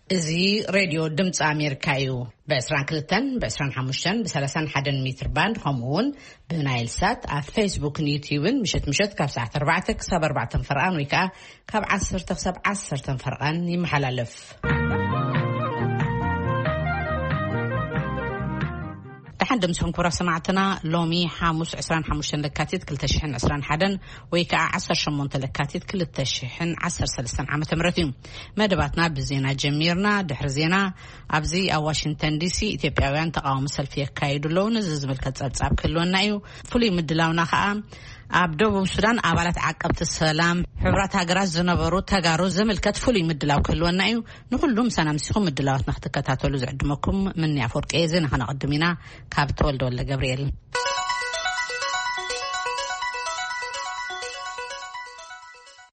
እዚ ሬድዮ ድምፂ ኣሜሪካ እዩ። ብ22፣ ብ25፣ ብ31 ሜትር ባንድ፣ ከምኡ እውን ብናይል ሳት ኣብ ፌስቡክን ዩትዩብን ምሸት ምሸት ካብ ሰዓት ኣርባዕተ ክሳብ ኣርባዕተ ፈርቓን ወይ ከዓ ካብ ዓሰርተ ክሳብ ዓሰርተ ፈርቓን ይመሓላለፍ። ደሓን ደምስኹም ክቡራት ሰማዕትና። ሎሚ ሓሙስ ዕስራን ሓሙሽተን ለካቲት ክልተ ሽሕን ዕስራን ሓደን ወይ ከዓ ዓሰርተ ሸሞንተ ለካቲት ክልተ ሽሕን ዓሰርተ ሰለስተን ዓመተ ምህረት እዩ። መደባትና ብዜና ጀሚርና። ድሕሪ ዜና፣ ኣብዚ ኣብ ዋሽንግተን ዲሲ ኢትዮጵያውያን ተቃውሞ ሰልፊ የካይዱ ኣለዉ። ነዚ ዝምልከት ጸብጻብ ክህልወና እዩ። ፍሉይ ምድላውና ከዓ ኣብ ደቡብ ሱዳን ኣባላት ዓቀብቲ ሰላም ሕቡራት ሃገራት ዝነበሩ ተጋሩ ዝምልከት ፍሉይ ምድላው ክህልወና እዩ። ንኹሉ ምሳና ምሲኹም ምድላዋትና ክትከታተሉ ዝዕድመኩም ምኒ ኣፈወርቂ እየ። ዜና ከነቐድም ኢና። ካብ ተወልደ ወልደ ገብርኤል።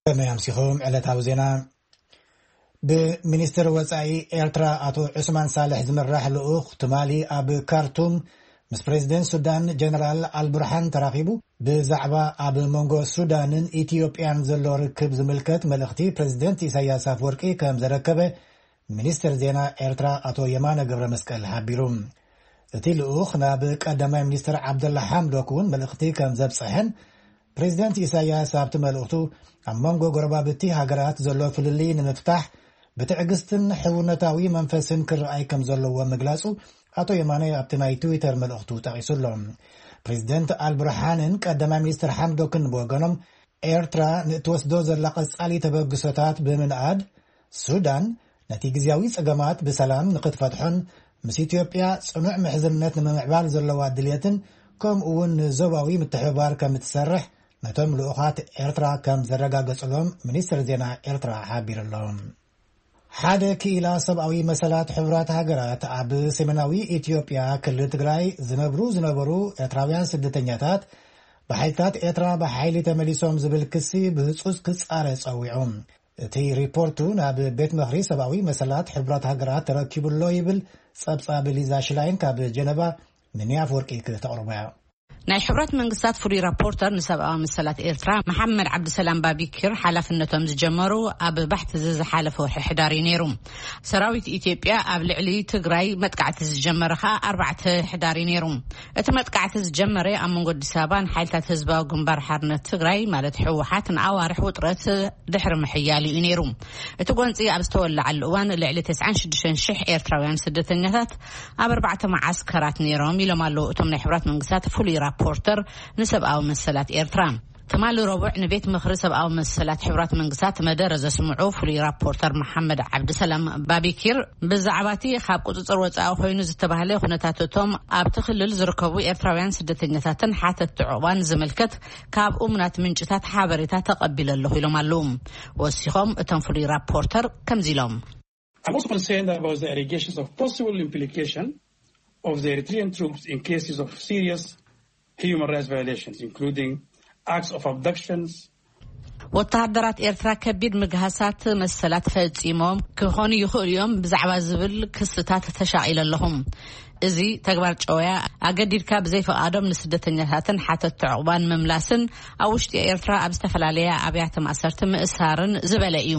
ከመይ ኣምሲኹም? ዕለታዊ ዜና። ብሚኒስትር ወጻኢ ኤርትራ ኣቶ ዑስማን ሳልሕ ዝምራሕ ልኡኽ ትማሊ ኣብ ካርቱም ምስ ፕሬዚደንት ሱዳን ጀነራል ኣልቡርሃን ተራኺቡ፣ ብዛዕባ ኣብ መንጎ ሱዳንን ኢትዮጵያን ዘሎ ርክብ ዝምልከት መልእኽቲ ፕሬዚደንት ኢሳያስ ኣፍወርቂ ከም ዘረከበ ሚኒስትር ዜና ኤርትራ ኣቶ የማነ ገብረ መስቀል ሓቢሩ። እቲ ልኡኽ ናብ ቀዳማይ ሚኒስትር ዓብደላ ሓምዶክ እውን መልእኽቲ ከም ዘብጽሐን፣ ፕሬዚደንት ኢሳያስ ኣብቲ መልእኽቱ ኣብ መንጎ ጎረባብቲ ሃገራት ዘሎ ፍልልይ ንምፍታሕ ብትዕግስትን ሕውነታዊ መንፈስን ክረኣይ ከም ዘለዎ ምግላጹ ኣቶ የማነ ኣብቲ ናይ ትዊተር መልእኽቱ ጠቒሱ ኣሎ። ፕሬዚደንት ኣልቡርሃንን ቀዳማይ ሚኒስትር ሓምዶክን ብወገኖም፣ ኤርትራ ንእትወስዶ ዘላ ቀጻሊ ተበግሶታት ብምንኣድ፣ ሱዳን ነቲ ግዝያዊ ጸገማት ብሰላም ንኽትፈትሖን ምስ ኢትዮጵያ ጽኑዕ ምሕዝነት ንምምዕባል ዘለዋ ድልየትን ከምኡ እውን ንዞባዊ ምትሕብባር ከም እትሰርሕ ነቶም ልኡኻት ኤርትራ ከም ዘረጋገጹሎም ሚኒስትር ዜና ኤርትራ ሓቢሩ ኣሎ። ሓደ ክኢላ ሰብኣዊ መሰላት ሕቡራት ሃገራት ኣብ ሰሜናዊ ኢትዮጵያ ክልል ትግራይ ዝነብሩ ዝነበሩ ኤርትራውያን ስደተኛታት ብሓይልታት ኤርትራ ብሓይሊ ተመሊሶም ዝብል ክሲ ብህጹጽ ክጻረ ጸዊዑ። እቲ ሪፖርቱ ናብ ቤት ምኽሪ ሰብኣዊ መሰላት ሕቡራት ሃገራት ተረኪቡ ኣሎ ይብል ጸብጻብ ሊዛ ሽላይን ካብ ጀነቫ። ምንያ ኣፍወርቂ ክተቕርቦ እያ። ናይ ሕቡራት መንግስታት ፍሉይ ራፖርተር ንሰብኣዊ መሰላት ኤርትራ መሓመድ ዓብድሰላም ባቢኪር ሓላፍነቶም ዝጀመሩ ኣብ ባሕቲ እዚ ዝሓለፈ ወርሒ ሕዳር እዩ ነይሩ። ሰራዊት ኢትዮጵያ ኣብ ልዕሊ ትግራይ መጥቃዕቲ ዝጀመረ ከዓ ኣርባዕተ ሕዳር እዩ ነይሩ። እቲ መጥቃዕቲ ዝጀመረ ኣብ መንጎ ኣዲስ ኣበባን ሓይልታት ህዝባዊ ግንባር ሓርነት ትግራይ ማለት ህወሓት ንኣዋርሕ ውጥረት ድሕሪ ምሕያሉ እዩ ነይሩ። እቲ ጎንፂ ኣብ ዝተወለዓሉ እዋን ልዕሊ ተስዓን ሽዱሽተን ሽሕ ኤርትራውያን ስደተኛታት ኣብ ኣርባዕተ መዓስከራት ነይሮም ኢሎም ኣለዉ እቶም ናይ ሕቡራት መንግስታት ፍሉይ ራፖርተር ንሰብኣዊ መሰላት ኤርትራ። ትማሊ ረቡዕ ንቤት ምኽሪ ሰብኣዊ መሰላት ሕቡራት መንግስታት መደረ ዘስምዑ ፍሉይ ራፖርተር መሓመድ ዓብድሰላም ባቢኪር ብዛዕባ እቲ ካብ ቁፅፅር ወፃኢ ኮይኑ ዝተባህለ ኩነታት እቶም ኣብቲ ክልል ዝርከቡ ኤርትራውያን ስደተኛታትን ሓተትቲ ዕቑባን ዝምልከት ካብ እሙናት ምንጭታት ሓበሬታ ተቐቢለ ኣለኹ ኢሎም ኣለዉ። ወሲኾም እቶም ፍሉይ ራፖርተር ከምዚ ኢሎም። I'm also concerned about the allegations of possible implication of the Eritrean troops in cases of serious human rights violations, including acts of abductions. ወተሃደራት ኤርትራ ከቢድ ምግሃሳት መሰላት ፈጺሞም ክኾኑ ይኽእሉ እዮም ብዛዕባ ዝብል ክስታት ተሻቒለ ኣለኹም። እዚ ተግባር ጨወያ ኣገዲድካ ብዘይፈቓዶም ንስደተኛታትን ሓተትቲ ዕቑባን ምምላስን ኣብ ውሽጢ ኤርትራ ኣብ ዝተፈላለያ ኣብያተ ማእሰርቲ ምእሳርን ዝበለ እዩ።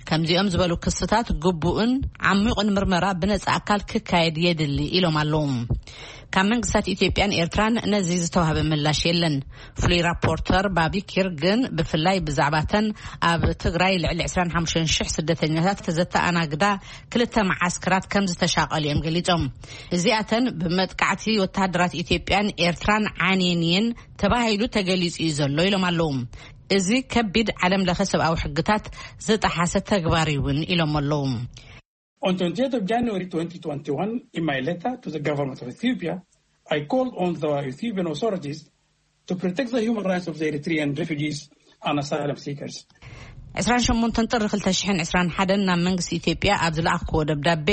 ከምዚኦም ዝበሉ ክስታት ግቡእን ዓሚቑን ምርመራ ብነጻ ኣካል ክካየድ የድሊ ኢሎም ኣለዉ። ካብ መንግስታት ኢትዮጵያን ኤርትራን ነዚ ዝተዋህበ ምላሽ የለን። ፍሉይ ራፖርተር ባቢኪር ግን ብፍላይ ብዛዕባተን ኣብ ትግራይ ልዕሊ ዕስራን ሓሙሽተን ሽሕ ስደተኛታት ዘተኣናግዳ ክልተ መዓስከራት ከም ዝተሻቐሉ እዮም ገሊጾም። እዚኣተን ብመጥቃዕቲ ወተሃደራት ኢትዮጵያን ኤርትራን ዓንየን እየን ተባሂሉ ተገሊጹ እዩ ዘሎ ኢሎም ኣለዉ። እዚ ከቢድ ዓለም ለኸ ሰብኣዊ ሕግታት ዝጠሓሰ ተግባር እውን ኢሎም ኣለዉ። On twenty-eighth of January twenty twenty-one, in my letter to the government of Ethiopia, I called on the Ethiopian authorities to protect the human rights of the Eritrean refugees and asylum seekers. ዕስራን ሸሞንተን ጥሪ ክልተ ሽሕን ዕስራን ሓደን ናብ መንግስቲ ኢትዮጵያ ኣብ ዝለኣኽዎ ደብዳቤ፣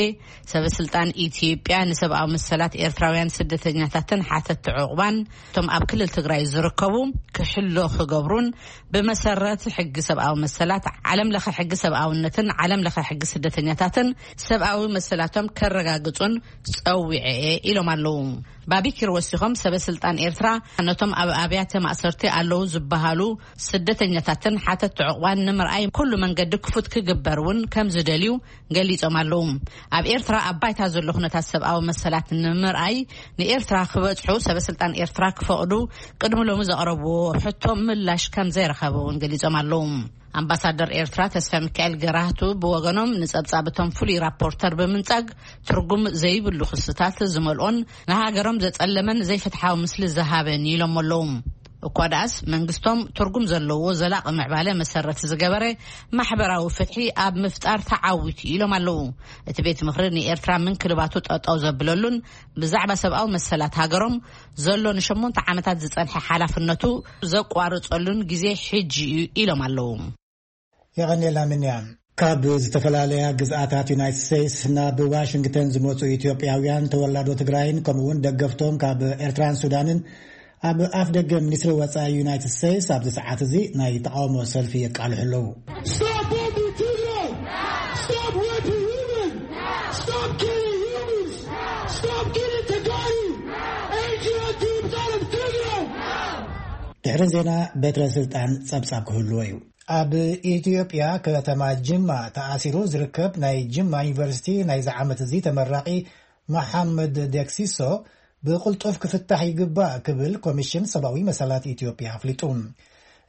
ሰበ ስልጣን ኢትዮጵያ ንሰብኣዊ መሰላት ኤርትራውያን ስደተኛታትን ሓተትቲ ዕቑባን እቶም ኣብ ክልል ትግራይ ዝርከቡ ክሕሎ ክገብሩን ብመሰረት ሕጊ ሰብኣዊ መሰላት፣ ዓለም ለኸ ሕጊ ሰብኣውነትን ዓለም ለኸ ሕጊ ስደተኛታትን ሰብኣዊ መሰላቶም ከረጋግጹን ጸዊዐ እየ ኢሎም ኣለዉ። ባቢኪር ወሲኾም፣ ሰበ ስልጣን ኤርትራ ነቶም ኣብ ኣብያተ ማእሰርቲ ኣለዉ ዝበሃሉ ስደተኛታትን ሓተት ዕቑባን ንምርኣይ ኩሉ መንገዲ ክፉት ክግበር እውን ከም ዝደልዩ ገሊጾም ኣለዉ። ኣብ ኤርትራ ኣብ ባይታ ዘሎ ኩነታት ሰብኣዊ መሰላት ንምርኣይ ንኤርትራ ክበጽሑ ሰበ ስልጣን ኤርትራ ክፈቕዱ ቅድሚ ሎሚ ዘቕረብዎ ሕቶ ምላሽ ከም ዘይረኸበ እውን ገሊጾም ኣለዉ። ኣምባሳደር ኤርትራ ተስፋ ሚካኤል ገራህቱ ብወገኖም፣ ንጸብጻብ እቶም ፍሉይ ራፖርተር ብምንጻግ፣ ትርጉም ዘይብሉ ክስታት ዝመልኦን ንሃገሮም ዘጸለመን ዘይፍትሓዊ ምስሊ ዝሃበን ኢሎም ኣለዉ። እኳ ደኣስ መንግስቶም ትርጉም ዘለዎ ዘላቒ ምዕባለ መሰረት ዝገበረ ማሕበራዊ ፍትሒ ኣብ ምፍጣር ተዓዊቱ ኢሎም ኣለዉ። እቲ ቤት ምኽሪ ንኤርትራ ምንክልባቱ ጠጠው ዘብለሉን ብዛዕባ ሰብኣዊ መሰላት ሃገሮም ዘሎ ንሸሞንተ ዓመታት ዝጸንሐ ሓላፍነቱ ዘቋርጸሉን ግዜ ሕጂ እዩ ኢሎም ኣለዉ። የቐንየልና ምንያ። ካብ ዝተፈላለያ ግዝኣታት ዩናይትድ ስቴትስ ናብ ዋሽንግተን ዝመጹ ኢትዮጵያውያን ተወላዶ ትግራይን ከምኡ እውን ደገፍቶም ካብ ኤርትራን ሱዳንን ኣብ ኣፍ ደገ ሚኒስትሪ ወጻኢ ዩናይትድ ስቴትስ ኣብዚ ሰዓት እዚ ናይ ተቃውሞ ሰልፊ የቃልሑ ኣለዉ። Stop bombing Tigray! Stop raping women! Stop killing humans! Stop killing Tigray! Eritrea troops out of Tigray! ድሕሪ ዜና በትረ ስልጣን ጸብጻብ ክህልዎ እዩ። ኣብ ኢትዮጵያ ከተማ ጅማ ተኣሲሩ ዝርከብ ናይ ጅማ ዩኒቨርሲቲ ናይዚ ዓመት እዚ ተመራቒ መሓመድ ደክሲሶ ብቕልጡፍ ክፍታሕ ይግባእ ክብል ኮሚሽን ሰብኣዊ መሰላት ኢትዮጵያ ኣፍሊጡ።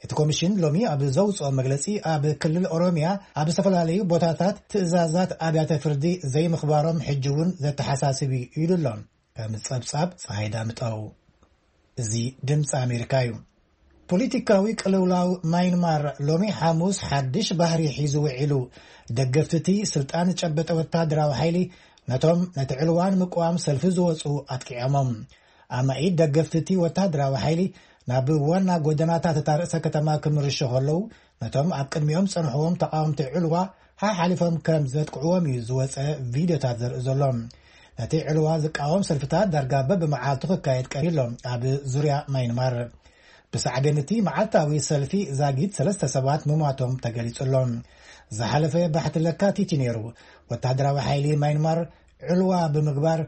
እቲ ኮሚሽን ሎሚ ኣብ ዘውፅኦ መግለፂ፣ ኣብ ክልል ኦሮሚያ ኣብ ዝተፈላለዩ ቦታታት ትእዛዛት ኣብያተ ፍርዲ ዘይምኽባሮም ሕጂ እውን ዘተሓሳስብ እዩ ኢሉ ኣሎ። ከም ጸብጻብ ፀሃይ ዳምጠው። እዚ ድምፂ ኣሜሪካ እዩ። ፖለቲካዊ ቅልውላው ማይንማር ሎሚ ሓሙስ ሓድሽ ባህሪ ሒዙ ውዒሉ። ደገፍቲ እቲ ስልጣን ዝጨበጠ ወታደራዊ ሓይሊ ነቶም ነቲ ዕልዋ ንምቅዋም ሰልፊ ዝወፁ ኣጥቂዖሞም። ኣማኢት ደገፍቲ እቲ ወታደራዊ ሓይሊ ናብ ዋና ጎደናታት እታ ርእሰ ከተማ ክምርሹ ከለዉ፣ ነቶም ኣብ ቅድሚኦም ዝጸንሕዎም ተቓወምቲ ዕልዋ ሓሓሊፎም ከም ዘጥቅዕዎም እዩ ዝወጸ ቪድዮታት ዘርኢ ዘሎ። ነቲ ዕልዋ ዝቃወም ሰልፍታት ዳርጋ በብመዓልቱ ክካየድ ቀኒሎ ኣብ ዙርያ ማይንማር። ብሳዕቤን እቲ መዓልታዊ ሰልፊ ዛጊት ሰለስተ ሰባት ምሟቶም ተገሊጹ ኣሎ። ዝሓለፈ ባሕቲ ለካቲት እዩ ነይሩ። ወታደራዊ ሓይሊ ማይንማር ዕልዋ ብምግባር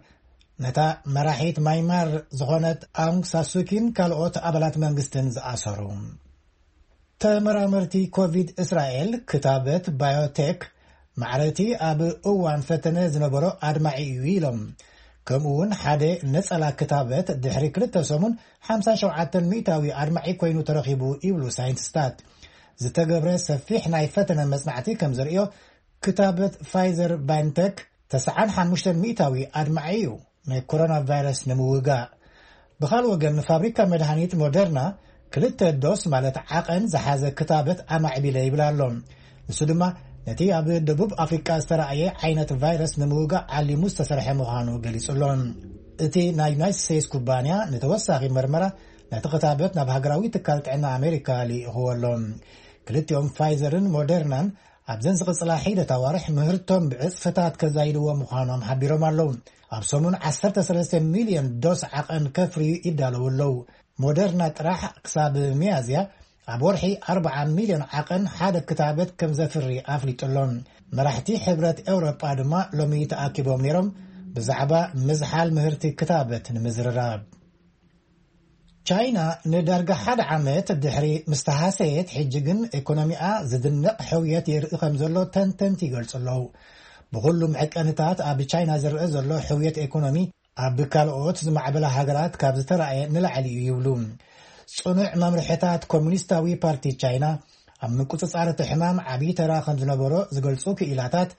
ነታ መራሒት ማይንማር ዝኾነት ኣውንግ ሳሱኪን ካልኦት ኣባላት መንግስትን ዝኣሰሩ። ተመራመርቲ ኮቪድ እስራኤል ክታበት ባዮቴክ ማዕረቲ ኣብ እዋን ፈተነ ዝነበሮ ኣድማዒ እዩ ኢሎም። ከምኡ እውን ሓደ ነጸላ ክታበት ድሕሪ ክልተ ሰሙን ሓምሳ ሸውዓተ ሚእታዊ ኣድማዒ ኮይኑ ተረኺቡ ይብሉ ሳይንቲስታት። ዝተገብረ ሰፊሕ ናይ ፈተነ መጽናዕቲ ከም ዘርእዮ ክታበት ፋይዘር ባይንተክ ተስዓን ሓሙሽተን ሚእታዊ ኣድማዒ እዩ ናይ ኮሮና ቫይረስ ንምውጋእ። ብኻልእ ወገን ፋብሪካ መድሃኒት ሞደርና ክልተ ዶስ ማለት ዓቐን ዝሓዘ ክታበት ኣማዕቢለ ይብል ኣሎ። ንሱ ድማ ነቲ ኣብ ደቡብ ኣፍሪቃ ዝተረኣየ ዓይነት ቫይረስ ንምውጋእ ዓሊሙ ዝተሰርሐ ምዃኑ ገሊጹ ኣሎ። እቲ ናይ ዩናይትድ ስቴትስ ኩባንያ ንተወሳኺ መርመራ ነቲ ክታበት ናብ ሃገራዊ ትካል ጥዕና ኣሜሪካ ልኢኽዎ ኣሎ። ክልቲኦም ፋይዘርን ሞደርናን ኣብዘን ዝቕጽላ ሒደት ኣዋርሕ ምህርቶም ብዕጽፍታት ከዛይድዎ ምዃኖም ሓቢሮም ኣለዉ። ኣብ ሰሙን ዓሰርተ ሰለስተ ሚልዮን ዶስ ዓቐን ከፍርዩ ይዳለዉ ኣለዉ። ሞደርና ጥራሕ ክሳብ ሚያዝያ ኣብ ወርሒ ኣርብዓ ሚልዮን ዓቐን ሓደ ክታበት ከም ዘፍሪ ኣፍሊጡ ኣሎ። መራሕቲ ሕብረት ኤውሮጳ ድማ ሎሚ ተኣኪቦም ነይሮም ብዛዕባ ምዝሓል ምህርቲ ክታበት ንምዝርራብ። ቻይና ንዳርጋ ሓደ ዓመት ድሕሪ ምስ ተሃሰየት፣ ሕጂ ግን ኢኮኖሚኣ ዝድነቕ ሕውየት የርኢ ከም ዘሎ ተንተንቲ ይገልጹ ኣለዉ። ብኹሉም ዕቀንታት ኣብ ቻይና ዝረአ ዘሎ ሕውየት ኢኮኖሚ ኣብ ካልኦት ዝማዕበላ ሃገራት ካብ ዝተራእየ ንላዕሊ እዩ ይብሉ። ጽኑዕ መምርሕታት ኮሙኒስታዊ ፓርቲ ቻይና ኣብ ምቁጽጻር እቲ ሕማም ዓብዪ ተራ ከም ዝነበሮ ዝገልጹ ክኢላታት፣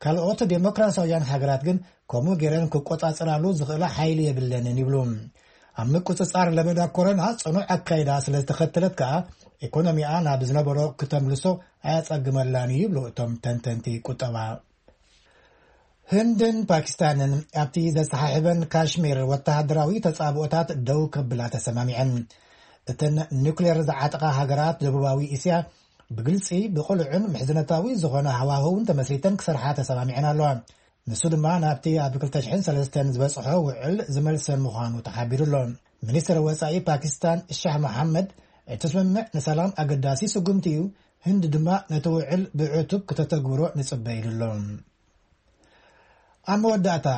ካልኦት ዴሞክራሲያውያን ሃገራት ግን ከምኡ ገይረን ክቆጻጸራሉ ዝኽእላ ሓይሊ የብለንን ይብሉ። ኣብ ምቁጽጻር ለበዳ ኮሮና ጽኑዕ ኣካይዳ ስለ ዝተኸተለት ከኣ ኢኮኖሚኣ ናብ ዝነበሮ ክተምልሶ ኣያጸግመላን እዩ ይብሉ እቶም ተንተንቲ ቁጠባ። ህንድን ፓኪስታንን ኣብቲ ዘሰሓሕበን ካሽሚር ወተሃደራዊ ተጻብኦታት ደው ከብላ ተሰማሚዐን። እተን ኑክሌር ዝዓጠቓ ሃገራት ደቡባዊ እስያ ብግልጺ፣ ብቕሉዕን ምሕዝነታዊ ዝኾነ ሃዋህውን ተመስሪተን ክሰርሓ ተሰማሚዐን ኣለዋ። ንሱ ድማ ናብቲ ኣብ ክልተ ሽሕን ሰለስተን ዝበጽሖ ውዕል ዝመልሰን ምዃኑ ተሓቢሩ ኣሎ። ሚኒስትር ወጻኢ ፓኪስታን ሻህ መሓመድ፣ እቲ ስምምዕ ንሰላም ኣገዳሲ ስጉምቲ እዩ፣ ህንዲ ድማ ነቲ ውዕል ብዕቱብ ክተተግብሮ ንጽበ ኢሉ ኣሎ። ኣብ መወዳእታ፣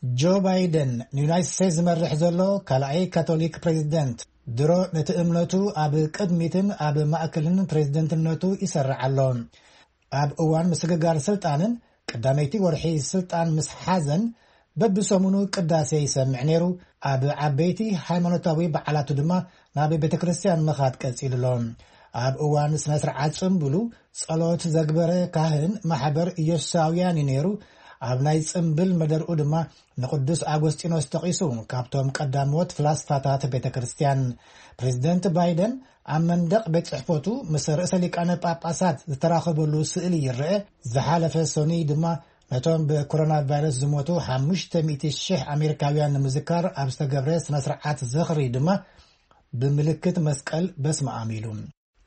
ጆ ባይደን ንዩናይትድ ስቴትስ ዝመርሕ ዘሎ ካልኣይ ካቶሊክ ፕሬዚደንት ድሮ ነቲ እምነቱ ኣብ ቅድሚትን ኣብ ማእከልን ፕሬዚደንትነቱ ይሰርዕ ኣሎ። ኣብ እዋን ምስግጋር ስልጣንን ቀዳመይቲ ወርሒ ስልጣን ምስ ሓዘን በብሰሙኑ ቅዳሴ ይሰምዕ ነይሩ። ኣብ ዓበይቲ ሃይማኖታዊ በዓላቱ ድማ ናብ ቤተ ክርስቲያን ምኻድ ቀጺሉ ኣሎ። ኣብ እዋን ስነ ስርዓት ጽምብሉ ጸሎት ዘግበረ ካህን ማሕበር ኢየሱሳውያን እዩ ነይሩ። ኣብ ናይ ጽምብል መደርኡ ድማ ንቅዱስ ኣጎስጢኖስ ጠቒሱ ካብቶም ቀዳሞት ፍላስፋታት ቤተ ክርስቲያን። ፕሬዚደንት ባይደን ኣብ መንደቕ ቤት ጽሕፈቱ ምስ ርእሰ ሊቃነ ጳጳሳት ዝተራኸበሉ ስእሊ ይረአ። ዝሓለፈ ሰኑይ ድማ ነቶም ብኮሮና ቫይረስ ዝሞቱ ሓሙሽተ ሚእቲ ሽሕ ኣሜሪካውያን ንምዝካር ኣብ ዝተገብረ ስነ ስርዓት ዝኽሪ ድማ ብምልክት መስቀል በስመ ኣም ኢሉ።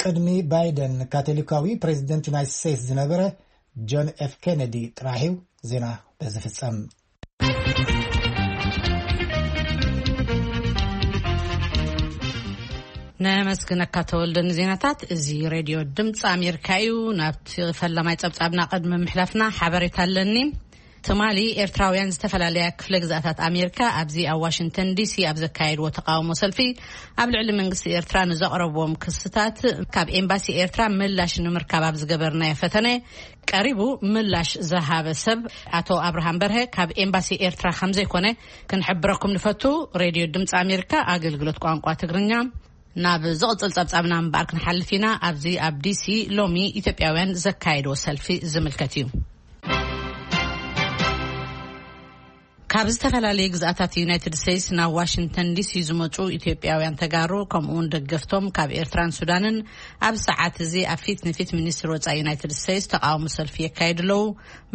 ቅድሚ ባይደን ካቶሊካዊ ፕሬዚደንት ዩናይትድ ስቴትስ ዝነበረ ጆን ኤፍ ኬነዲ ጥራሕ እዩ። ዜና በዚ ፍጸም። ነመስግነካ ተወልደ ንዜናታት። እዚ ሬድዮ ድምፂ ኣሜሪካ እዩ። ናብቲ ፈላማይ ጸብጻብና ቅድሚ ምሕላፍና ሓበሬታ ኣለኒ። ትማሊ ኤርትራውያን ዝተፈላለያ ክፍለ ግዛታት ኣሜሪካ ኣብዚ ኣብ ዋሽንግተን ዲሲ ኣብ ዘካየድዎ ተቃውሞ ሰልፊ ኣብ ልዕሊ መንግስቲ ኤርትራ ንዘቕረብዎም ክስታት ካብ ኤምባሲ ኤርትራ ምላሽ ንምርካብ ኣብ ዝገበርናዮ ፈተነ ቀሪቡ ምላሽ ዝሃበ ሰብ ኣቶ ኣብርሃም በርሀ ካብ ኤምባሲ ኤርትራ ከም ዘይኮነ ክንሕብረኩም ንፈቱ። ሬድዮ ድምፂ ኣሜሪካ ኣገልግሎት ቋንቋ ትግርኛ። ናብ ዝቕጽል ጸብጻብና እምበኣር ክንሓልፍ ኢና። ኣብዚ ኣብ ዲሲ ሎሚ ኢትዮጵያውያን ዘካየድዎ ሰልፊ ዝምልከት እዩ። ካብ ዝተፈላለዩ ግዝኣታት ዩናይትድ ስቴትስ ናብ ዋሽንግተን ዲሲ ዝመጹ ኢትዮጵያውያን ተጋሩ ከምኡውን ደገፍቶም ካብ ኤርትራን ሱዳንን ኣብ ሰዓት እዚ ኣብ ፊት ንፊት ሚኒስትሪ ወጻኢ ዩናይትድ ስቴትስ ተቃውሞ ሰልፊ የካይዱ ኣለዉ።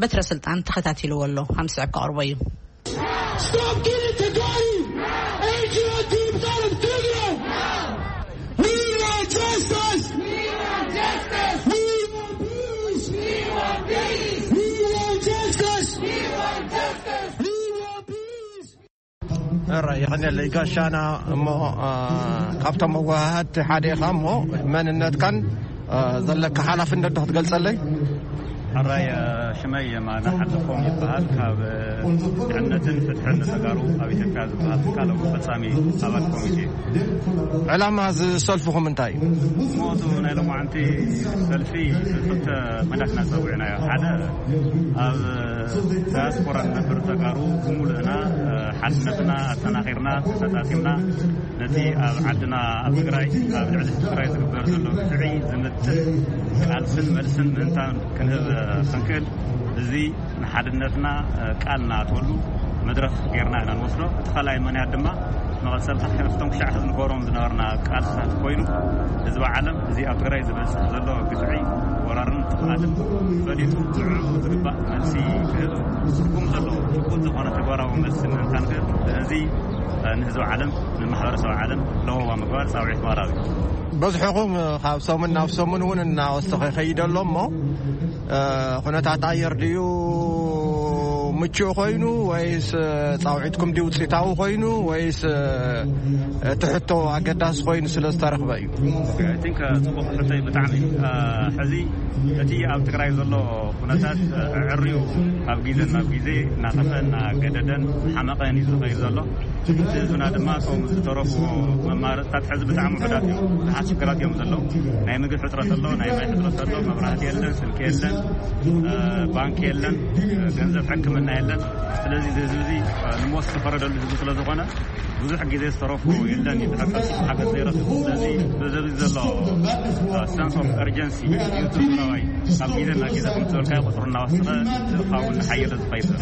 በትረ ስልጣን ተኸታቲልዎ ኣሎ፣ ከም ዝስዕብ ከቕርቦ እዩ። Stop killing Tigray! Adrian Deep out of Tigray! We want justice! We want justice! We want peace! We want peace! We want justice! We want justice! We want peace! ሕራይ የቐንየለይ ጋሻና። እሞ፣ አ፣ ካብቶም መወሃሃድቲ ሓደ ኢኻ እሞ መንነትካን፣ አ፣ ዘለካ ሓላፍነት ዶ ክትገልጸለይ? ሕራይ፣ አ፣ ሽመይ የማነ ሓለፎም ይበሃል። ካብ፣ አ፣ ድሕነትን ፍትሕን ንተጋሩ ኣብ ኢትዮጵያ ዝበሃል ትካል ፈጻሚ ኣባል ኮሚቴ። ዕላማ እዚ ሰልፍኹም እንታይ እዩ? እሞ፣ እዚ ናይ ሎማዓንቲ ሰልፊ ብክልተ መዳት ኢና ጸዊዕናዮ። ሓደ፣ ኣብ ዳያስፖራ ንነብር ተጋሩ ብምሉእና፣ አ፣ ሓድነትና ኣጠናኺርና፣ ተሰጣጢምና፣ ነቲ ኣብ ዓድና ኣብ ትግራይ፣ ኣብ ልዕሊ ህዝቢ ትግራይ ዝግበር ዘሎ ግፍዒ ዝምጥን ቃልስን መልስን ምእንታን ክንህብ ክንክእል፣ እዚ ንሓድነትና ቃል ንኣትወሉ መድረኽ ጌርና ኢና ንወስዶ። እቲ ካልኣይ ምኽንያት ድማ መቐጸልታ ካብቶም ክሻዕ ሕዚ ንገብሮም ዝነበርና ቃልስታት ኮይኑ፣ ህዝቢ ዓለም እዚ ኣብ ትግራይ ዝበጽሕ ዘሎ ግፍዒ፣ ወራርን ጥፍኣትን ፈሊጡ ንዕኡ ዝግባእ መልሲ ክህብ፣ ትርጉም ዘለዎ ጭቡጥ ዝኾነ ተግባራዊ መልሲ ምእንታን ክህብ፣ እዚ ንህዝቢ ዓለም፣ ንማሕበረሰብ ዓለም ለበዋ ምግባር ጻውዒት ምቕራብ እዩ። በዝሕኹም ካብ ሰሙን ናብ ሰሙን እውን እናወሰኸ ይኸይድ ኣሎ እሞ፣ እ፣ ኩነታት ኣየር ድዩ ምቹእ ኮይኑ ወይስ ጻውዒትኩም ድዩ ውጽኢታዊ ኮይኑ ወይስ እቲ ሕቶ ኣገዳሲ ኮይኑ ስለ ዝተረኽበ እዩ? ኦኬ፣ I think፣ እ፣ ጽቡቕ ሕቶ እዩ ብጣዕሚ። እ፣ ሕዚ እቲ ኣብ ትግራይ ዘሎ ኩነታት፣ እ፣ ኣዕርዩ ካብ ግዜ ናብ ግዜ እናኸፍአ እናገደደን ሓመቐን እዩ ዝኸይድ ዘሎ። እቲ ህዝብና ድማ እቶም ዝተረፉ መማረፅታት ሕዚ ብጣዕሚ ውሑዳት እዮም። ብዙሓት ሽግራት እዮም ዘለዉ። ናይ ምግቢ ሕፅረት ኣሎ፣ ናይ ማይ ሕፅረት ኣሎ፣ መብራህቲ የለን፣ ስልኪ የለን፣ እ፣ ባንክ የለን፣ እ፣ ገንዘብ ሕክምና የለን። ስለዚ እዚ ህዝቢ እዚ፣ እ፣ ንሞት ዝተፈረደሉ ህዝቢ ስለ ዝኾነ ብዙሕ ግዜ ዝተረፉ የለን እዩ፣ ድሕሪ ቀልጢፉ ሓገዝ ዘይረኽብ። ስለዚ በዚ ዘሎ፣ እ፣ sense of urgency እዩ ትግራዋይ ካብ ግዜ ናብ ግዜ ከም ዝበልካዮ ቁፅሩ እናወሰኸ እቲ እኻውን ሓየለ ዝኸይድ ዘሎ።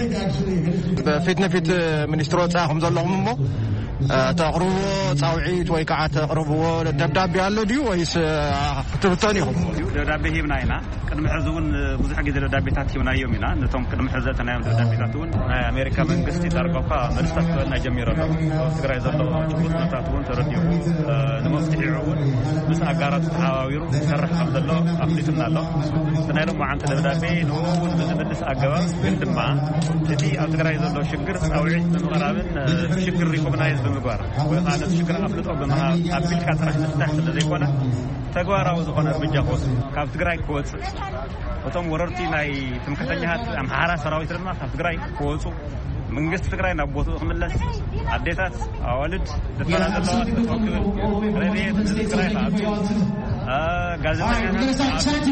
ብፊት ንፊት ሚኒስትሪ ወፃኢ ከም ዘለኹም እሞ፣ እ፣ ተቕርብዎ ፃውዒት ወይ ከዓ ተቕርብዎ ደብዳቤ ኣሎ ድዩ ወይስ፣ እ፣ ክትብተኑ ኢኹም? ደብዳቤ ሂብና ኢና። ቅድሚ ሕዚ እውን ብዙሕ ግዜ ደብዳቤታት ሂብናዮም ኢና። ነቶም ቅድሚ ሕዚ ዘእተናዮም ደብዳቤታት እውን ናይ ኣሜሪካ መንግስቲ ዳርጋ እኳ መልስታት ክህበና ጀሚሩ ኣሎ። ኣብ ትግራይ ዘሎ ጭቡጥ ኩነታት እውን ተረዲኡ፣ እ፣ ንመፍትሒኡ እውን ምስ ኣጋራቱ ተሓባቢሩ ይሰርሕ ከም ዘሎ ኣፍሊጡና ኣሎ። እቲ ናይ ሎማዓንቲ ደብዳቤ ንኡ እውን ብዝምልስ ኣገባብ፣ ግን ድማ እቲ ኣብ ትግራይ ዘሎ ሽግር ፃውዒት ብምቕራብን፣ እ፣ ሽግር ሪኮግናይዝ ብምግባር ወይ ከዓ ነቲ ሽግር ኣፍልጦ ብምሃብ ኣቢልካ ጥራሕ ምፍታሕ ስለ ዘይኮነ፣ ተግባራዊ ዝኾነ እርምጃ ክወስድ፣ ካብ ትግራይ ክወፅእ፣ እቶም ወረርቲ ናይ ትምክሕተኛታት ኣምሓራ ሰራዊት ድማ ካብ ትግራይ ክወፁ፣ መንግስቲ ትግራይ ናብ ቦትኡ ክምለስ፣ ኣዴታት ኣዋልድ ዝፈላ ዘለዋ ክብል፣ ረድኤት ንትግራይ ክኣቱ፣ አ፣ ጋዜጠኛታት ክኣቱ፣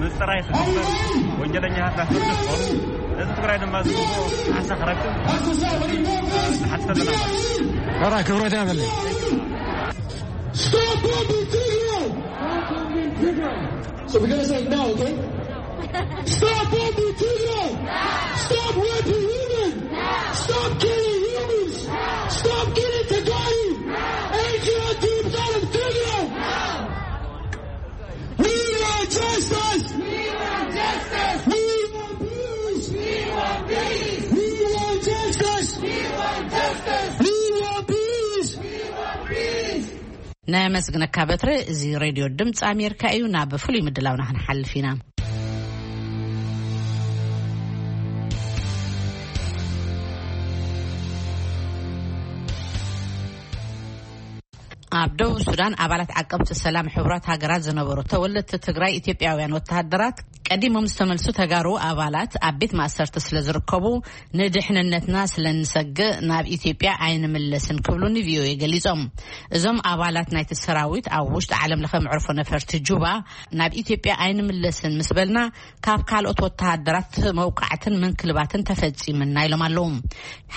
ምፅራይ ክግበር፣ ወንጀለኛታት ናብ ፍርዲ ክቐርቡ፣ ህዝቢ ትግራይ ድማ ዝግብኦ ካሕሳ ክረክብ ንሓትት ኣለና። ሕራይ ክብረት ያበለይ። Stop bombing Tigray! So we're gonna say no, okay? Stop bombing Tigray! Stop raping women! Stop killing humans! Stop killing Tigray! N G O teams out of Tigray! We want justice! We want justice! We want peace! We want peace! We want justice! We want justice! We want peace! We want peace! ናይ ኣመስግነካ በትረ። እዚ ሬድዮ ድምፂ ኣሜሪካ እዩ። ናብ ፍሉይ ምድላውና ክንሓልፍ ኢና። ኣብ ደቡብ ሱዳን ኣባላት ዓቀብቲ ሰላም ሕቡራት ሃገራት ዝነበሩ ተወለድቲ ትግራይ ኢትዮጵያውያን ወተሃደራት ቀዲሞም ዝተመልሱ ተጋሩ ኣባላት ኣብ ቤት ማእሰርቲ ስለ ዝርከቡ ንድሕንነትና ስለ እንሰግእ ናብ ኢትዮጵያ ኣይንምለስን ክብሉ ንቪኦኤ ገሊጾም። እዞም ኣባላት ናይቲ ሰራዊት ኣብ ውሽጢ ዓለም ለኸ መዕርፎ ነፈርቲ ጁባ ናብ ኢትዮጵያ ኣይንምለስን ምስ በልና ካብ ካልኦት ወተሃደራት መውቃዕትን ምንክልባትን ተፈጺምና ኢሎም ኣለዉ።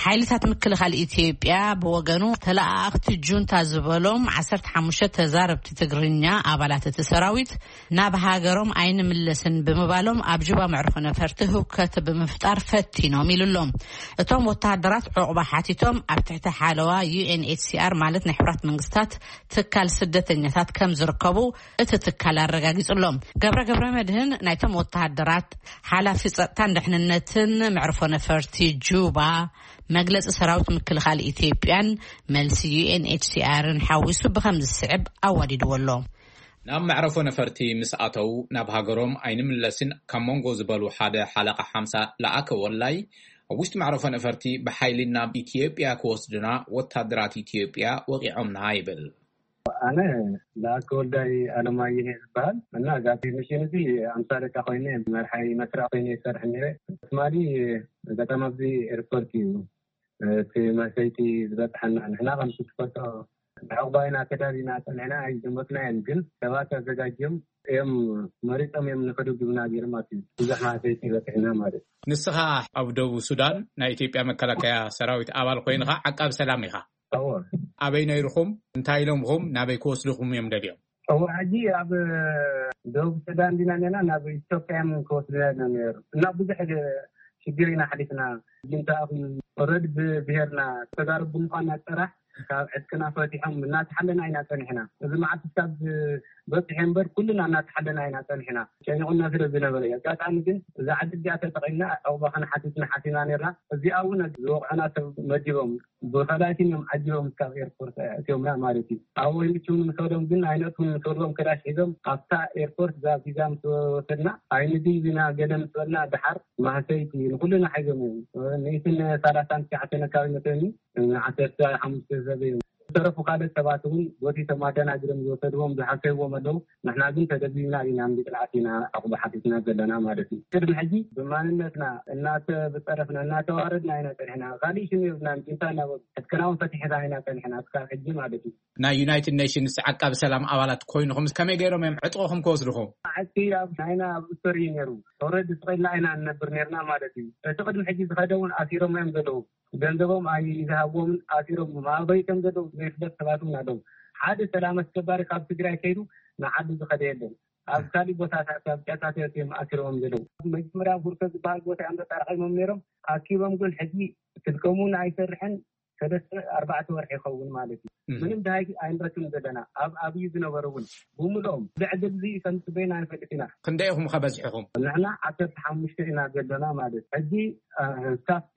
ሓይልታት ምክልኻል ኢትዮጵያ ብወገኑ ተለኣኣኽቲ ጁንታ ዝበሎም ዓሰርተ ሓሙሽተ ተዛረብቲ ትግርኛ ኣባላት እቲ ሰራዊት ናብ ሃገሮም ኣይንምለስን ብምባሎም ኣብ ጁባ መዕርፎ ነፈርቲ ህውከት ብምፍጣር ፈቲኖም ኢሉ ኣሎ። እቶም ወተሃደራት ዕቑባ ሓቲቶም ኣብ ትሕቲ ሓለዋ ዩ ኤን ኤች ሲ ኣር ማለት ናይ ሕቡራት መንግስታት ትካል ስደተኛታት ከም ዝርከቡ እቲ ትካል ኣረጋጊጹ ኣሎ። ገብረ ገብረ መድህን ናይቶም ወተሃደራት ሓላፊ ጸጥታን ድሕንነትን መዕርፎ ነፈርቲ ጁባ መግለጺ ሰራዊት ምክልኻል ኢትዮጵያን መልሲ ዩ ኤን ኤች ሲ ኣርን ሓዊሱ ብኸም ዝስዕብ ኣዋዲድዎ ኣሎ። ናብ መዕረፎ ነፈርቲ ምስ ኣተው ናብ ሃገሮም ኣይንምለስን ካብ መንጎ ዝበሉ ሓደ ሓለቓ ሓምሳ ለኣከ ወላይ ኣብ ውሽጢ መዕረፎ ነፈርቲ ብሓይሊ ናብ ኢትዮጵያ ክወስዱና ወታደራት ኢትዮጵያ ወቂዖምና ይብል። ኣነ ለኣከ ወልዳይ ኣለማየሁ ዝበሃል እና እዛ ሚሽን እዚ ኣምሳ ደቃ ኮይነ መርሓይ መስርዕ ኮይነ ይሰርሕ ነይረ። ትማሊ ኣጋጣሚ ኣብዚ ኤርፖርት እዩ እቲ መሰይቲ ዝበፅሐና። ንሕና ከም ትፈልጦ ንዕቑባ ኢና ተዳሊና ፀኒሕና ኣይዘመትናዮን፣ ግን ሰባት ኣዘጋጅዮም እዮም መሪፆም እዮም ንክድግብና ገይሮም ኣትዩ ብዙሕ መሰይቲ በፂሕና ማለት እዩ። ንስኻ ኣብ ደቡብ ሱዳን ናይ ኢትዮጵያ መከላከያ ሰራዊት ኣባል ኮይንኻ ዓቃቢ ሰላም ኢኻ። እዎ። ኣበይ ነይርኹም? እንታይ ኢሎምኹም? ናበይ ክወስድኹም እዮም ደልዮም? እዎ፣ ሕጂ ኣብ ደቡብ ሱዳን ዲና ኔና ናብ ኢትዮጵያ እዮም ክወስድና ነይሩ እና ብዙሕ ሽግር ኢና ሓሊፍና። ጅንታ ኦረድ ብብሄርና ተዛረብ ብምዃንና ጥራሕ ካብ ዕጥቅና ፈቲሖም እናተሓለና ኢና ጸኒሕና። እዚ መዓልቲ እስካብ በፂሑ እምበር ኩልና እናተሓለና ኢና ጸኒሕና። ጨኒቑና ስለ ዝነበረ እዩ። ኣጋጣሚ ግን እዛ ዕድል እዚኣ ተጠቒምና ዕቑባ ክንሓትት ንሓሲብና ነርና። እዚኣ እውን ዝወቕዑና ሰብ መዲቦም ብኸላይትን እዮም ዓጂቦም እስካብ ኤርፖርት ኣእትዮምና ማለት እዩ። ኣብ ወይልቹ ንሰዶም ግን ኣይነእትውን ንሰዶም ክላሽ ሒዞም ኣብታ ኤርፖርት እዛ ቪዛ ምስ ወሰድና ኣይንድይብና ገለ ምስ በልና ደሓር ማህሰይቲ ንኩልና ሓይዞም እዮም። ንእትን ሰላሳን ትሽዓተን ኣካባቢ መሰኒ ዓሰርተ ሓሙሽተ ሰብ እዮም። ዝተረፉ ካልኦት ሰባት እውን ጎቲቶም ኣደናጊሮም ዝወሰድዎም ዝሓሰብዎም ኣለዉ። ንሕና ግን ተደቢብና ኢና፣ እምቢ ጥልዓት ኢና ዕቑባ ሓቲትና ዘለና ማለት እዩ። ቅድሚ ሕጂ ብማንነትና እናተብፀረፍና እናተዋረድና ኢና ፀኒሕና። ካሊእ ሽም የብልናን። ጅንታ እናበሉ ዕጥቅና እውን ፈቲሕና ኢና ፀኒሕና እስካብ ሕጂ ማለት እዩ። ናይ ዩናይትድ ኔሽንስ ዓቃቢ ሰላም ኣባላት ኮይንኹም ከመይ ገይሮም እዮም ዕጥቕኹም ክወስድኹም? ዓቂ ኣብ ናይና ኣብ እስቶሪ እዩ ነይሩ። ኦረዲ ስቕ ኢልና ኢና ንነብር ነርና ማለት እዩ። እቲ ቅድሚ ሕጂ ዝኸደ እውን ኣሲሮም እዮም ዘለዉ። ገንዘቦም ኣይዝሃብዎምን ኣሲሮም ኣበይ ከም ዘለዉ ዘይፍለጥ ሰባት እውን ኣለዉ። ሓደ ሰላም ኣስከባሪ ካብ ትግራይ ከይዱ ንዓዱ ዝኸደ የለን። ኣብ ካሊእ ቦታታት ኣብ ጫካታት እዮም ኣሲሮም ዘለዉ። መጀመርያ ኣብ ሁርሶ ዝበሃል ቦታ እዮም ተጣራቒሞም ነይሮም። ኣኪቦም ግን ሕጂ ስልኮም እውን ኣይሰርሕን። ሰለስተ ኣርባዕተ ወርሒ ይኸውን ማለት እዩ። እህ። ምንም ደሃይ ኣይንረክብን ዘለና። ኣብ ኣብዩ ዝነበሩ እውን ብምልኦም ብዕድል እዚ ከም ዝበይና ንፈልጥ ኢና። ክንደይ ኢኹም ከ በዚሕኹም? ንሕና ዓሰርተ ሓሙሽተ ኢና ዘለና ማለት ሕጂ፣ እ፣ ስታፍቲ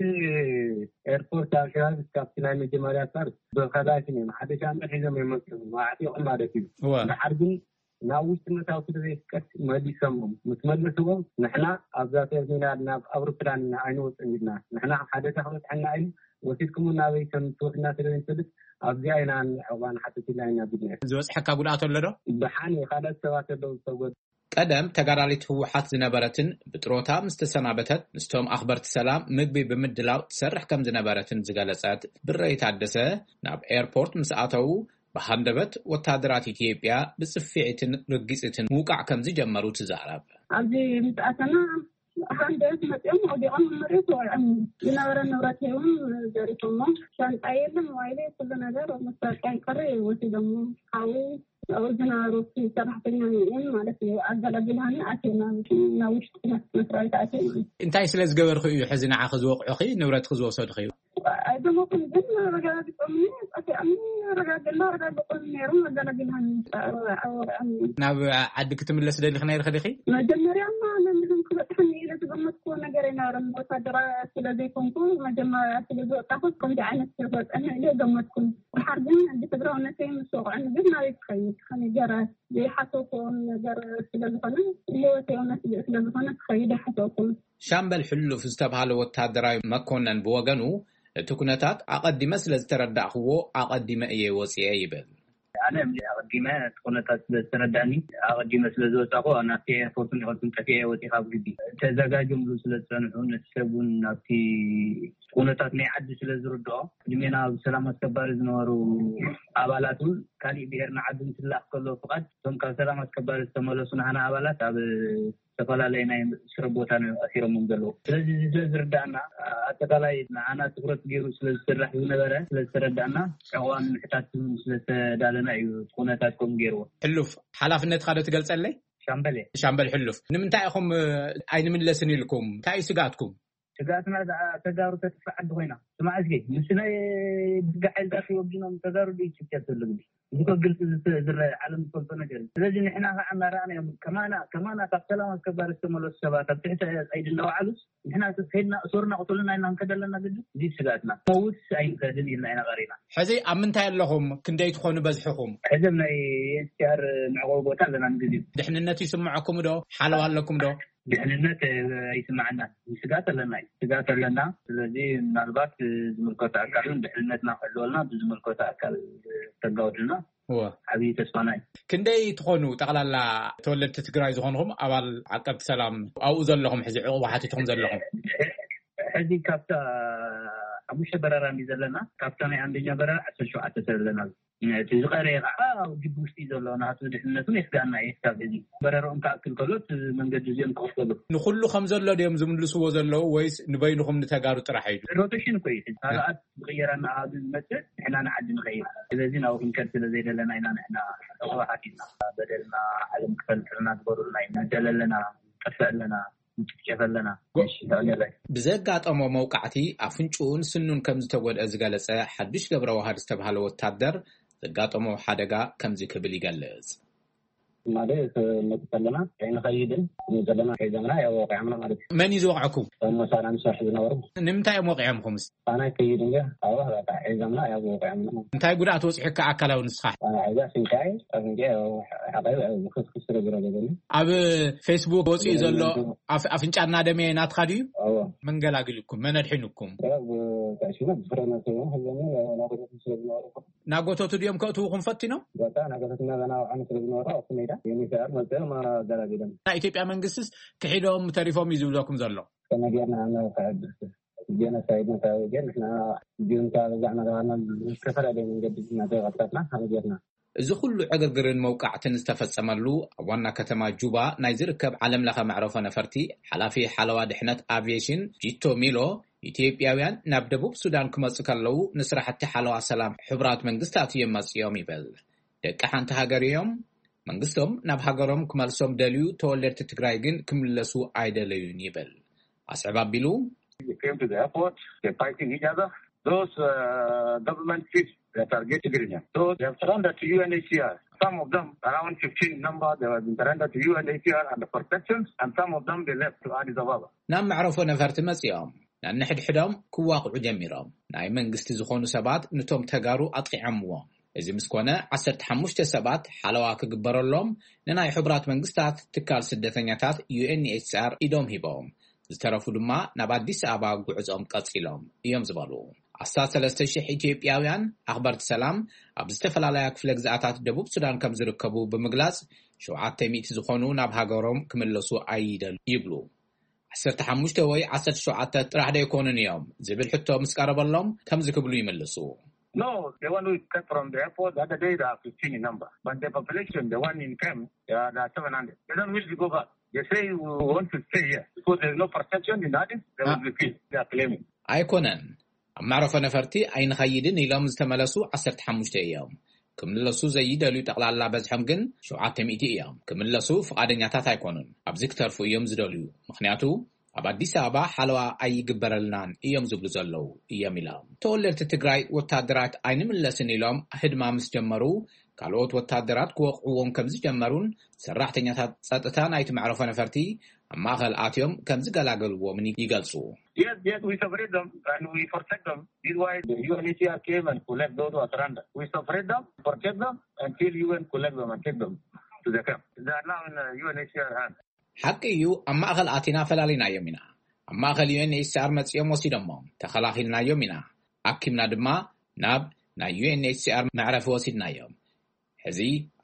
ኤርፖርት ኣብ ከባቢ ስታፍቲ ናይ መጀመርያ ፓርት ብኸላይትን እዮም ሓደ ሻምበል ሒዞም እዮም መፅኦም ኣዕጢቖም ማለት እዩ። እወ። ድሓር ግን ናብ ውሽጢ ምእታው ስለ ዘይፍቀድ መሊሶምዎም። ምስ መለስዎም ንሕና ኣብዛ ተርሚናል ናብ ኣውሮፕላን ኢና ኣይንወፅን ኢልና። ንሕና ሓደ ተኽበፅሐና ኢሉ ወሲድኩምና ናበይ ከም ትወስድና ስለ ዘይንፈልጥ ኣብዚኣ ኢና ዕቑባ ንሓትት ኢልና ኢና ቢልና። ዝበፅሐካ ጉድኣት ኣሎ ዶ? ደሓን እዩ። ካልኦት ሰባት ኣለዉ ዝተጎድኡ። ቀደም ተጋዳሊት ህወሓት ዝነበረትን ብጥሮታ ምስ ተሰናበተት ምስቶም ኣኽበርቲ ሰላም ምግቢ ብምድላው ትሰርሕ ከም ዝነበረትን ዝገለጸት ብረይ ታደሰ፣ ናብ ኤርፖርት ምስ ኣተዉ ብሃንደበት ወታደራት ኢትዮጵያ ብጽፍዒትን ርጊጽትን ምውቃዕ ከም ዝጀመሩ ትዛረብ። ኣብዚ ምስ ኣተና ሃንደበት መጺኦም ወዲቖም ኣብ መሬት ወቂዖም። ዝነበረ ንብረት እውን ዘሪፎሞ። ሻንጣ የለ፣ ሞባይል፣ ኩሉ ነገር መሳርያ ይቀሪ ወሲዶሞ። ሓዊ ኣብኡ ዝነበሩ ሰራሕተኛ ንእን ማለት እዩ። ኣገላጊልሃኒ ኣትየ ናብ ናብ ውሽጢ መስሪያ ቤት ኣትየ ማለት እዩ። እንታይ ስለ ዝገበርኩ እዩ ሕዚ ንዓኺ ዝወቕዑኺ፣ ንብረትኺ ዝወሰዱኺ? ኣይደሞኩም ግን ኣረጋግጾምኒ፣ ጸፊዖምኒ፣ ኣረጋግጽና ኣረጋግጾምኒ ነይሮም። ኣገላጊልሃኒ ወቂዖምኒ። ናብ ዓዲ ክትምለስ ደሊኺ ነይርኺ ዲኺ? መጀመርያማ ነንድም ክበጽሐኒ ኢለ ዝገመትኩዎ ነገር ኣይነበረን። ወታደራ ስለ ዘይኮንኩ፣ መጀመርያ ስለ ዝወጣኹ ከምዚ ዓይነት ስለ ዝወጸኒ ኢለ ገመትኩን። ድሓር ግን ብትግራውነተይ ምስ ወቕዑኒ ግን ናበይ ክኸይድ? ከመይ ገይረ ዘይሓሰብኩዎም ነገር ስለ ዝኾነ፣ ህይወተይ እውን ስግእ ስለ ዝኾነ ክኸይድ ኣይሓሰብኩን። ሻምበል ሕሉፍ ዝተብሃለ ወታደራዊ መኮነን ብወገኑ፣ እቲ ኩነታት ኣቐዲመ ስለ ዝተረዳእኽዎ ኣቐዲመ እየ ወፂኤ ይብል። ኣነ ኣቐዲመ እቲ ኩነታት ስለ ዝተረዳእኒ፣ ኣቐዲመ ስለ ዝወፃእኩ ናብቲ ኤርፖርት ይኸልኩም ጠፊኤ ወፂ ካብ ግቢ። ተዘጋጆምሉ ስለ ዝፀንሑ፣ ነቲ ሰብ እውን ናብቲ ኩነታት ናይ ዓዲ ስለ ዝርድኦ፣ ቅድሜና ኣብ ሰላም ኣስከባሪ ዝነበሩ ኣባላት እውን ካሊእ ብሄር ንዓዲ እንትላኽ ከሎ ፍቓድ፣ እቶም ካብ ሰላም ኣስከባሪ ዝተመለሱ ናህና ኣባላት ኣብ ዝተፈላለየ ናይ ስረ ቦታ እዮም ኣሲሮሞም ዘለዉ። ስለዚ እዚ ስለ ዝርዳእና፣ ኣጠቃላይ ንዓና ትኩረት ገይሩ ስለ ዝስራሕ ዝነበረ ስለ ዝተረዳእና፣ ዕቑባ ንምሕታት እውን ስለ ዝተዳለና እዩ እቲ ኩነታት ከምኡ ገይርዎ። ሕሉፍ፣ ሓላፍነትካ ዶ ትገልጸለይ? ሻምበል እየ። ሻምበል ሕሉፍ፣ ንምንታይ ኢኹም፣ እ፣ ኣይንምለስን ኢልኩም? እንታይ እዩ ስግኣትኩም? ስግኣትና ደኣ ተጋሩ ተጥፍእ ዓዲ ኮይና። ስማዕ እስኪ፣ ምስ ናይ ብጋ ሓይልታት ወጊኖም ተጋሩ ዶ ይጭፍጨፍ ዘሎ ግዲ? እዚ እኮ ግልፂ ዝተ-፣ ዝረአ ዓለም ዝፈልጦ ነገር እዩ። ስለዚ ንሕና ከዓ እናረኣናዮም፣ ከማና፣ ከማና ካብ ሰላም ኣስከባሪ ዝተመለሱ ሰባት ኣብ ትሕቲ ቀይዲ እናወዓሉስ፣ ንሕና ከይድና እሰሩና ቅተሉና ኢልና ክንከድ ኣለና ግዲ? እዚ ስግኣትና። መውት ኣይንኸድን ኢልና ኢና ቀሪና። ሕዚ ኣብ ምንታይ ኣለኹም? ክንደይ ትኾኑ በዝሕኹም? ሕዚ ኣብ ናይ ኤን ኤች ሲ ኣር መዕቆቢ ቦታ ኣለና ንግዜኡ። ድሕንነት ይስምዐኩም ዶ? ሓለዋ ኣለኩም ዶ? ድሕንነት፣ እ፣ ኣይስምዓናን። ስጋት ኣለና እዩ። ስጋት ኣለና። ስለዚ ምናልባት፣ እ፣ ዝምልከቶ ኣካል እውን ድሕንነትና ክሕልወልና ብዝምልከቶ ኣካል፣ እ፣ ተጋውድልና እወ። ዓብዪ ተስፋና እዩ። ክንደይ ትኾኑ ጠቕላላ ተወለድቲ ትግራይ ዝኾንኹም ኣባል ዓቀብቲ ሰላም ኣብኡ ዘለኹም ሕዚ ዕቑባ ሓቲትኩም ዘለኹም? ሕዚ ካብታ ሓሙሽተ በረራ እንዲ ዘለና፣ ካብታ ናይ ኣንደኛ በረራ ዓሰርተ ሸውዓተ ሰብ ኣለና። እቲ ዝቐረየ ከዓ ኣብ ግቢ ውሽጢ እዩ ዘሎ። ናቱ ድሕነቱ የስጋና እዩ። ካብ እዚ በረርኦም ክኣክል ከሎ እቲ መንገዲ እዚኦም ክኸፈሉ። ንኹሉ ከም ዘሎ ድዮም ዝምልስዎ ዘለዉ ወይስ ንበይንኹም ንተጋሩ ጥራሕ እዩ? ሮቴሽን እኮ እዩ። ካልኣት ዝቕየረና ኣብ ዝመፅእ ንሕና ንዓዲ ንኸይድ። ስለዚ ናብኡ ክንከድ ስለ ዘይደለና ኢና ንሕና ዕቑባ ሓቲትና። በደልና ዓለም ክፈልጥልና ግበሩልና ኢና። ንደለ ኣለና፣ ንጠፍእ ኣለና፣ ንጭፍጨፍ ኣለና። ጎ- እሺ፣ ተቐየረ። ብዘጋጠሞ መውቃዕቲ ኣፍንጭኡን ስኑን ከም ዝተጎድአ ዝገለጸ ሓዱሽ ገብረ ዋህድ ዝተባህለ ወታደር፣ ዘጋጠሞ ሓደጋ ከምዚ ክብል ይገልጽ። ማለት መጡ ከለና ከይንኸይድን ዘለና ሒዞምና ያው ወቂዖምና ማለት እዩ። መን እዩ ዝወቕዐኩም? እቶም መሳርያ ንሰርሕ ዝነበሩ። ንምንታይ እዮም ወቂዖምኹምስ? ኣነ ከይድ እንጂ ኣብኡ በቃ ሒዞምና ያው ወቂዖምና። እንታይ ጉድኣት ወፂሑካ ኣካላዊ ንስኻ? ኣነ ሒዛ ስንካይ፣ ኣፍንጫ ያው ሓቐይ ያው ብክስክስ ስለ ዝረገዘኒ። ኣብ ፌስቡክ ወፂኡ ዘሎ ኣፍ-፣ ኣፍንጫ እናደመየ ናትኻ ድዩ? እዎ። መን ገላግልኩም? መን ኣድሒኑኩም? ያው ብታሽና ብፍረ መሰሉ ሒዞምና ያው ናጎተቱ ስለ ዝነበሩ። ናጎተቱ ድዮም ከእትዉኹም ፈቲኖም? በቃ ናጎተትና ገና ኣውዓኑ ስለ ዝነበሩ ኣብቲ ሜዳ ዩኤንኤችሲኣር መፅኦም ኣገላጊሎም። ናይ ኢትዮጵያ መንግስትስ ክሒዶም ተሪፎም እዩ ዝብለኩም ዘሎ? ከመይ ጌርና ንኽሕድስ? ጀኖሳይድ ነታዊ ግን ንሕና ጁንታ በዛ እናተባህልና ብዝተፈላለየ መንገዲ እናተቐጥቀጥና ከመይ ጌርና? እዚ ኩሉ ዕግርግርን መውቃዕትን ዝተፈጸመሉ ኣብ ዋና ከተማ ጁባ ናይ ዝርከብ ዓለም ለኸ መዕረፎ ነፈርቲ ሓላፊ ሓለዋ ድሕነት ኣቪዬሽን ጂቶ ሚሎ፣ ኢትዮጵያውያን ናብ ደቡብ ሱዳን ክመጹ ከለዉ ንስራሕቲ ሓለዋ ሰላም ሕቡራት መንግስታት እዮም መጺኦም ይብል። ደቂ ሓንቲ ሃገር እዮም። መንግስቶም ናብ ሃገሮም ክመልሶም ደልዩ፣ ተወለድቲ ትግራይ ግን ክምለሱ ኣይደለዩን ይብል። ኣስዕብ ኣቢሉ፣ They came to the airport, they're fighting each other. Those, uh, government ships that are getting Tigrinya. So they have surrendered to U N H C R. Some of them, around fifteen number, they have been surrendered to U N H C R under protection, and some of them they left to Addis Ababa. ናብ መዕረፎ ነፈርቲ መጺኦም፣ ነንሕድሕዶም ክዋቕዑ ጀሚሮም። ናይ መንግስቲ ዝኾኑ ሰባት ንቶም ተጋሩ ኣጥቂዖምዎም። እዚ ምስ ኮነ፣ ዓሰርተ ሓሙሽተ ሰባት ሓለዋ ክግበረሎም ንናይ ሕቡራት መንግስታት ትካል ስደተኛታት ዩ ኤን ኤች ሲ ኣር ኢዶም ሂቦም። ዝተረፉ ድማ ናብ ኣዲስ ኣበባ ጉዕዞም ቀጺሎም እዮም ዝበሉ። ኣስታት ሰለስተ ሽሕ ኢትዮጵያውያን ኣኽበርቲ ሰላም ኣብ ዝተፈላለያ ክፍለ ግዝኣታት ደቡብ ሱዳን ከም ዝርከቡ ብምግላጽ፣ ሸውዓተ ሚእቲ ዝኾኑ ናብ ሃገሮም ክምለሱ ኣይደል ይብሉ። ዓሰርተ ሓሙሽተ ወይ ዓሰርተ ሸውዓተ ጥራሕ ዶ ኣይኮኑን እዮም ዝብል ሕቶ ምስ ቀረበሎም ከምዚ ክብሉ ይምልሱ። No, the one who cut from the airport, the other day they are fifteen in number. But the population, the one in camp, they are, they are seven hundred. They don't wish to go back. They say we want to stay here because there's no protection in Addis. They will be killed. They are claiming. ኣይኮነን፣ ኣብ መዕረፎ ነፈርቲ ኣይንኸይድን ኢሎም ዝተመለሱ ዓሰርተ ሓሙሽተ እዮም። ክምለሱ ዘይደልዩ ጠቕላላ በዝሖም ግን ሸውዓተ ሚእቲ እዮም። ክምለሱ ፍቓደኛታት ኣይኮኑን። ኣብዚ ክተርፉ እዮም ዝደልዩ። ምኽንያቱ ኣብ ኣዲስ ኣበባ ሓለዋ ኣይግበረልናን እዮም ዝብሉ ዘለዉ እዮም ኢሎም። ተወለድቲ ትግራይ ወታደራት ኣይንምለስን ኢሎም ህድማ ምስ ጀመሩ፣ ካልኦት ወታደራት ክወቕዕዎም ከም ዝጀመሩን ሰራሕተኛታት ጸጥታ ናይቲ መዕረፎ ነፈርቲ ኣብ ማእኸል ኣትዮም ከም ዝገላገልዎምን ይገልጹ። Yes, yes, we separate them and we protect them. This is why the U N H C R came and collect those who are surrendered. We separate them, protect them until U N collect them and take them to the camp. They are now in the U N H C R hand. ሓቂ እዩ፣ ኣብ ማእኸል ኣቲና ፈላሊናዮም ኢና። ኣብ ማእኸል ዩ ኤን ኤች ሲ ኣር መጺኦም ወሲዶሞም፣ ተኸላኺልናዮም ኢና። ኣኪምና ድማ ናብ ናይ ዩ ኤን ኤች ሲ ኣር መዕረፊ ወሲድናዮም። ሕዚ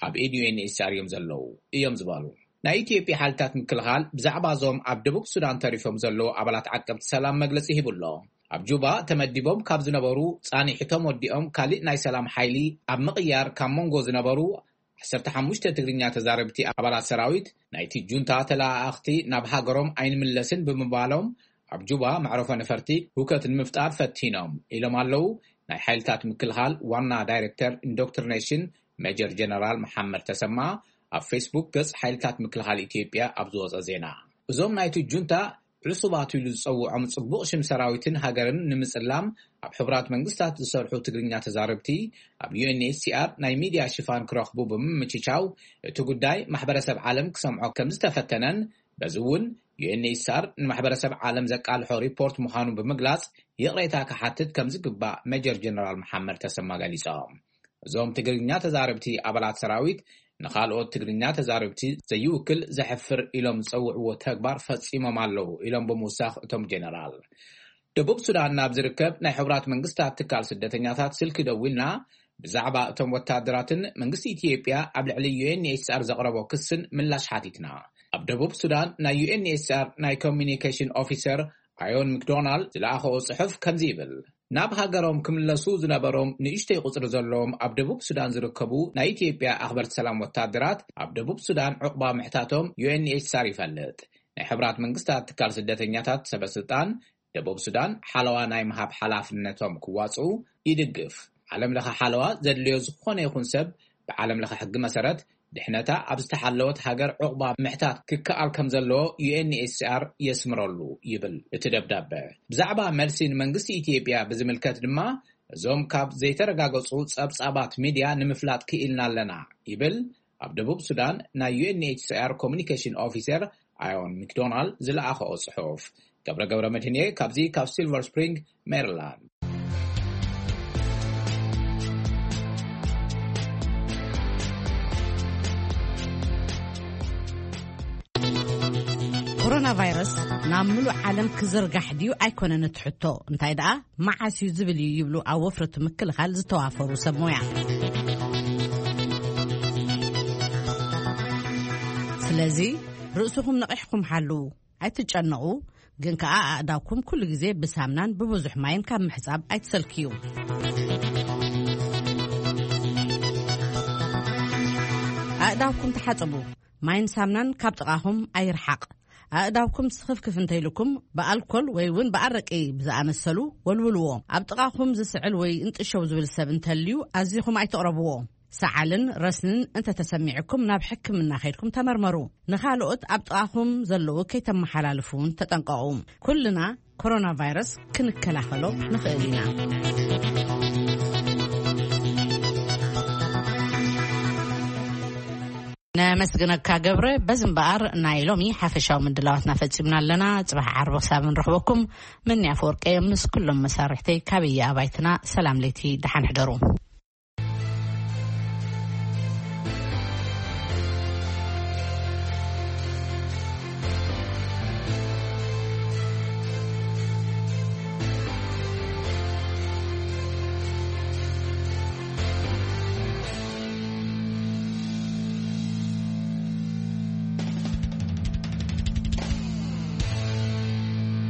ኣብ ኢድ ዩ ኤን ኤች ሲ ኣር እዮም ዘለዉ እዮም ዝበሉ። ናይ ኢትዮጵያ ሓይልታት ምክልኻል ብዛዕባ እዞም ኣብ ደቡብ ሱዳን ተሪፎም ዘለዉ ኣባላት ዓቀብቲ ሰላም መግለጺ ሂቡ ኣሎ። ኣብ ጁባ ተመዲቦም ካብ ዝነበሩ ጻኒሕቶም ወዲኦም ካሊእ ናይ ሰላም ሓይሊ ኣብ ምቕያር ካብ መንጎ ዝነበሩ ዓሰርተ ሓሙሽተ ትግርኛ ተዛረብቲ ኣባላት ሰራዊት ናይቲ ጁንታ ተለኣኣኽቲ ናብ ሃገሮም ኣይንምለስን ብምባሎም ኣብ ጁባ መዕረፎ ነፈርቲ ሁከት ንምፍጣር ፈቲኖም ኢሎም ኣለዉ ናይ ሓይልታት ምክልኻል ዋና ዳይሬክተር ኢንዶክትሪኔሽን ሜጀር ጀነራል መሓመድ ተሰማ ኣብ ፌስቡክ ገጽ ሓይልታት ምክልኻል ኢትዮጵያ ኣብ ዝወጸ ዜና። እዞም ናይቲ ጁንታ ዕሱባት ኢሉ ዝጸውዖም ጽቡቕ ሽም ሰራዊትን ሃገርን ንምጽላም ኣብ ሕቡራት መንግስታት ዝሰርሑ ትግርኛ ተዛረብቲ ኣብ ዩ ኤን ኤች ሲ ኣር ናይ ሚድያ ሽፋን ክረኽቡ ብምምችቻው እቲ ጉዳይ ማሕበረሰብ ዓለም ክሰምዖ ከም ዝተፈተነን በዚ እውን ዩ ኤን ኤች ሲ ኣር ንማሕበረሰብ ዓለም ዘቃልሖ ሪፖርት ምዃኑ ብምግላጽ ይቕሬታ ክሓትት ከም ዝግባእ ሜጀር ጀነራል መሓመድ ተሰማ ገሊጾም። እዞም ትግርኛ ተዛረብቲ ኣባላት ሰራዊት ንኻልኦት ትግርኛ ተዛረብቲ ዘይውክል ዘሕፍር ኢሎም ዝጸውዕዎ ተግባር ፈጺሞም ኣለዉ ኢሎም ብምውሳኽ እቶም ጀነራል። ደቡብ ሱዳን ናብ ዝርከብ ናይ ሕቡራት መንግስታት ትካል ስደተኛታት ስልኪ ደዊልና ብዛዕባ እቶም ወታደራትን መንግስቲ ኢትዮጵያ ኣብ ልዕሊ ዩ ኤን ኤች ሲ ኣር ዘቕረቦ ክስን ምላሽ ሓቲትና። ኣብ ደቡብ ሱዳን ናይ ዩ ኤን ኤች ሲ ኣር ናይ ኮሚኒኬሽን ኦፊሰር ኣዮን ምክዶናልድ ዝለኣኸኦ ጽሑፍ ከምዚ ይብል። ናብ ሃገሮም ክምለሱ ዝነበሮም ንእሽተይ ቁጽሪ ዘለዎም ኣብ ደቡብ ሱዳን ዝርከቡ ናይ ኢትዮጵያ ኣኽበርቲ ሰላም ወታደራት ኣብ ደቡብ ሱዳን ዕቑባ ምሕታቶም ዩ ኤን ኤች ሲ ኣር ይፈልጥ። ናይ ሕብራት መንግስታት ትካል ስደተኛታት ሰበ ስልጣን ደቡብ ሱዳን ሓለዋ ናይ ምሃብ ሓላፍነቶም ክዋጽኡ ይድግፍ። ዓለም ለኸ ሓለዋ ዘድልዮ ዝኾነ ይኹን ሰብ ብዓለም ለኸ ሕጊ መሰረት ድሕነታ ኣብ ዝተሓለወት ሃገር ዕቑባ ምሕታት ክከኣል ከም ዘለዎ ዩ ኤን ኤች ሲ ኣር የስምረሉ ይብል እቲ ደብዳበ። ብዛዕባ መልሲ ንመንግስቲ ኢትዮጵያ ብዝምልከት ድማ እዞም ካብ ዘይተረጋገጹ ጸብጻባት ሚድያ ንምፍላጥ ክኢልና ኣለና ይብል ኣብ ደቡብ ሱዳን ናይ ዩ ኤን ኤች ሲ ኣር ኮሚኒኬሽን ኦፊሰር ኣዮን ሚክዶናልድ ዝለኣኸኦ ጽሑፍ። ገብረ ገብረ መድህንየ ካብዚ ካብ ሲልቨር ስፕሪንግ ሜሪላንድ። ኮሮና ቫይረስ ናብ ምሉእ ዓለም ክዝርጋሕ ድዩ ኣይኮነን እቲ ሕቶ፣ እንታይ ደኣ መዓስ እዩ ዝብል እዩ ይብሉ ኣብ ወፍሪ ምክልኻል ዝተዋፈሩ ሰብ ሞያ። ስለዚ ርእስኹም ነቒሕኩም ሓልዉ፣ ኣይትጨነቑ። ግን ከኣ ኣእዳውኩም ኩሉ ግዜ ብሳምናን ብብዙሕ ማይን ካብ ምሕጻብ ኣይትሰልክዩ። ኣእዳውኩም ተሓጸቡ። ማይን ሳምናን ካብ ጥቓኹም ኣይርሓቕ። ኣእዳውኩም ስኽፍክፍ እንተይልኩም ብኣልኮል ወይ እውን ብኣረቂ ብዝኣመሰሉ ወልውልዎ። ኣብ ጥቓኹም ዝስዕል ወይ እንጥሸው ዝብል ሰብ እንተልዩ ኣዚኹም ኣይትቕረብዎ። ሰዓልን ረስንን እንተተሰሚዕኩም ናብ ሕክምና ከይድኩም ተመርመሩ። ንኻልኦት ኣብ ጥቓኹም ዘለዉ ከይተመሓላልፉ እውን ተጠንቀቑ። ኩልና ኮሮና ቫይረስ ክንከላኸሎ ንኽእል ኢና። ነመስግነካ ገብረ። በዚ እምበኣር ናይ ሎሚ ሓፈሻዊ ምድላዋትና ፈጺምና ኣለና። ጽባሕ ዓርቢ ክሳብ ንረኽበኩም፣ መኒ ኣፈወርቂ ምስ ኩሎም መሳርሕተይ ካብ እያ ኣባይትና ሰላም ለይቲ፣ ደሓን ሕደሩ።